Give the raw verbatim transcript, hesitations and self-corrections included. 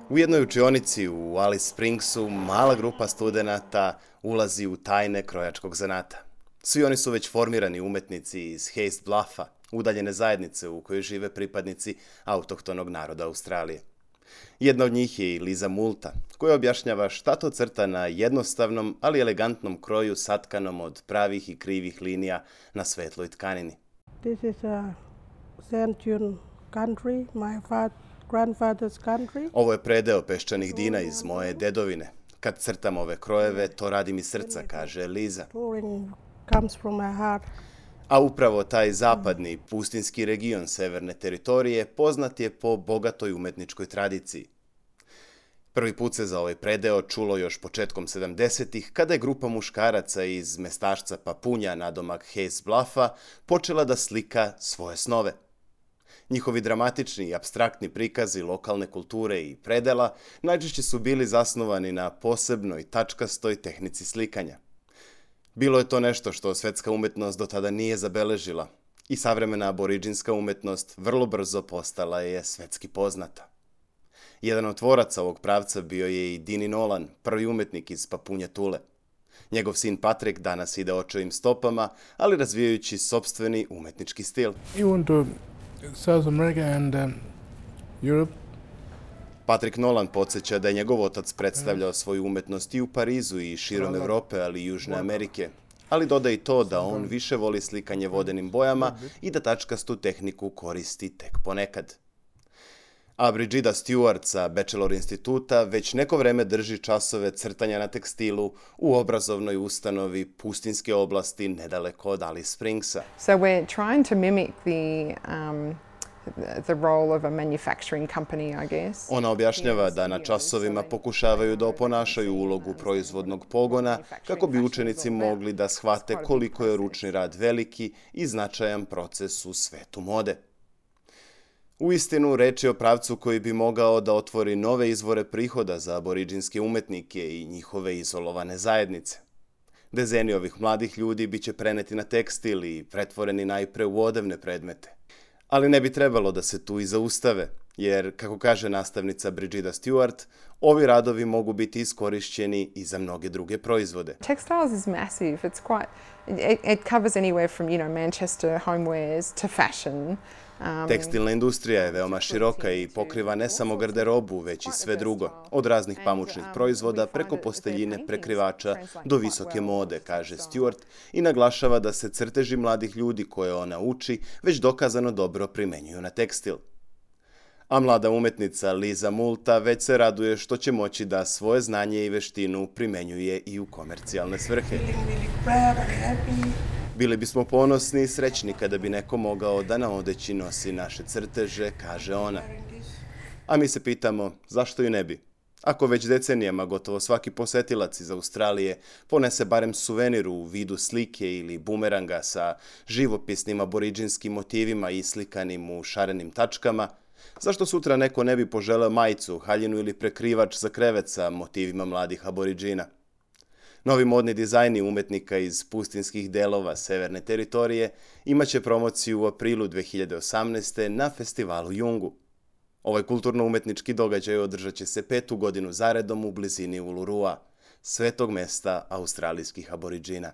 U jednoj učionici u Alice Springsu mala grupa studenata ulazi u tajne krojačkog zanata. Svi oni su već formirani umetnici iz Hayes Bluffa, udaljene zajednice u kojoj žive pripadnici autohtonog naroda Australije. Jedna od njih je i Liza Multa, koja objašnjava šta to crta na jednostavnom, ali elegantnom kroju satkanom od pravih i krivih linija na svetloj tkanini. This is a sand dune country, my fa- grandfather's country. Ovo je predeo peščanih dina iz moje dedovine. Kad crtam ove krojeve, to radim iz srca, kaže Liza. Touring comes from my heart. A upravo taj zapadni, pustinski region severne teritorije poznat je po bogatoj umetničkoj tradiciji. Prvi put se za ovaj predeo čulo još početkom sedamdesetih, kada je grupa muškaraca iz mestašca Papunja nadomak Hayes Bluffa počela da slika svoje snove. Njihovi dramatični i apstraktni prikazi lokalne kulture i predela najčešće su bili zasnovani na posebnoj tačkastoj tehnici slikanja. Bilo je to nešto što svetska umetnost do tada nije zabeležila i savremena aboriđinska umetnost vrlo brzo postala je svetski poznata. Jedan od tvoraca ovog pravca bio je i Dini Nolan, prvi umetnik iz Papunja Tule. Njegov sin Patrick danas ide očevim stopama, ali razvijajući sopstveni umetnički stil. You went to South America and um, Europe. Patrick Nolan podsjeća da je njegov otac predstavljao svoju umetnost i u Parizu i širom Evrope, ali i Južne Amerike. Ali doda i to da on više voli slikanje vodenim bojama i da tačkastu tehniku koristi tek ponekad. A Brigida Stewart sa Bachelor instituta već neko vreme drži časove crtanja na tekstilu u obrazovnoj ustanovi pustinske oblasti nedaleko od Alice Springsa. So we're trying to mimic the um, the role of a manufacturing company, I guess. Ona objašnjava da na časovima pokušavaju da oponašaju ulogu proizvodnog pogona kako bi učenici mogli da shvate koliko je ručni rad veliki i značajan proces u svetu mode. Uistinu, reč je o pravcu koji bi mogao da otvori nove izvore prihoda za aboriđinske umetnike i njihove izolovane zajednice. Dezeni ovih mladih ljudi biće preneti na tekstil i pretvoreni najpre u odevne predmete. Ali ne bi trebalo da se tu i zaustave, jer, kako kaže nastavnica Brigida Stewart, ovi radovi mogu biti iskorišćeni i za mnoge druge proizvode. Textiles is massive. It's quite it, it covers anywhere from, you know, Manchester homewares to fashion. Um, Tekstilna industrija je veoma široka i pokriva ne samo garderobu, već i sve drugo, od raznih pamučnih proizvoda preko posteljine, prekrivača do visoke mode, kaže Stewart, i naglašava da se crteži mladih ljudi koje ona uči već dokazano dobro primenjuju na tekstil. A mlada umetnica Liza Multa već se raduje što će moći da svoje znanje i veštinu primenjuje i u komercijalne svrhe. Bili bismo ponosni i srećni kada bi neko mogao da na odeći nosi naše crteže, kaže ona. A mi se pitamo zašto i ne bi. Ako već decenijama gotovo svaki posetilac iz Australije ponese barem suvenir u vidu slike ili bumeranga sa živopisnim aboriđinskim motivima islikanim u šarenim tačkama, zašto sutra neko ne bi poželeo majicu, haljinu ili prekrivač za krevet sa motivima mladih aboriđina? Novi modni dizajni umetnika iz pustinskih delova severne teritorije imaće promociju u aprilu dve hiljade osamnaeste. na festivalu Yungu. Ovaj kulturno-umetnički događaj održat će se petu godinu zaredom u blizini Ulurua, svetog mesta australijskih aboriđina.